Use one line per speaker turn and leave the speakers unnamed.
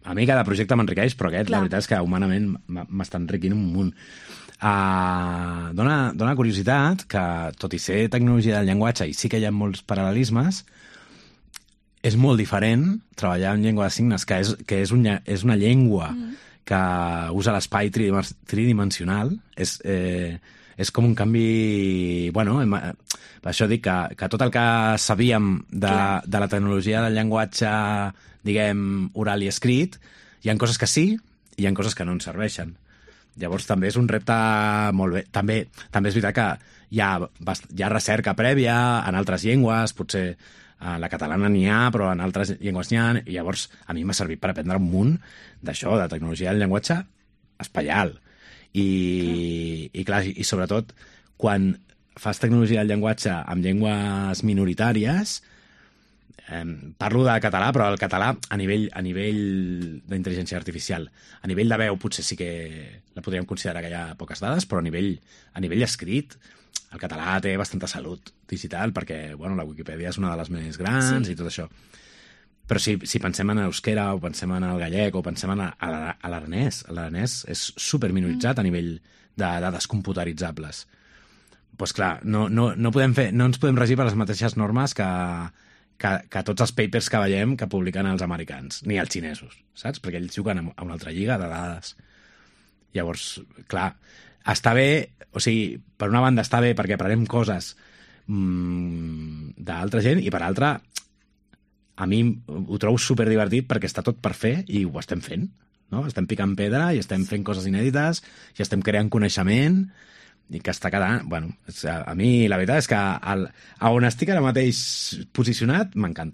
a mi cada projecte m'enriqueix, però aquest,
Clar.
la veritat és que humanament m'està enriquint un munt. Dóna curiositat que, tot i ser tecnologia del llenguatge, i sí que hi ha molts paral·lelismes, és molt diferent treballar en llengua de signes, que és una llengua que usa l'espai tridimensional. És com un canvi... Bueno, per això dic que tot el que sabíem de la tecnologia del llenguatge, diguem, oral i escrit, hi ha coses que sí i hi ha coses que no ens serveixen. Llavors també és un repte molt bé. També és veritat que hi ha recerca prèvia en altres llengües, potser a la catalana n'hi ha, però en altres llengües n'hi ha, i llavors a mi m'ha servit per aprendre un munt d'això, de tecnologia del llenguatge espaial. I clar, i sobretot quan fas tecnologia del llenguatge amb llengües minoritàries, parlo de català, però el català a nivell d'intel·ligència artificial. A nivell de veu potser sí que la podríem considerar que hi ha poques dades, però a nivell escrit el català té bastanta salut digital, perquè bueno, la Wikipedia és una de les més grans i tot això. Però si pensem en euskera o pensem en el gallec o pensem en l'aranès, l'aranès és superminoritzat a nivell de dades computeritzables. Doncs clar, no ens podem regir per les mateixes normes que tots els papers que veiem que publiquen els americans, ni els xinesos, saps? Perquè ells juguen a una altra lliga de dades. Llavors, clar, està bé, o sigui, per una banda està bé perquè aprenem coses d'altra gent, i per altra a mi ho trobo superdivertit perquè està tot per fer i ho estem fent, no? Estem picant pedra i estem fent coses inèdites i estem creant coneixement i que està quedant... Bueno, a mi la veritat és que a on estic ara mateix posicionat m'encanta.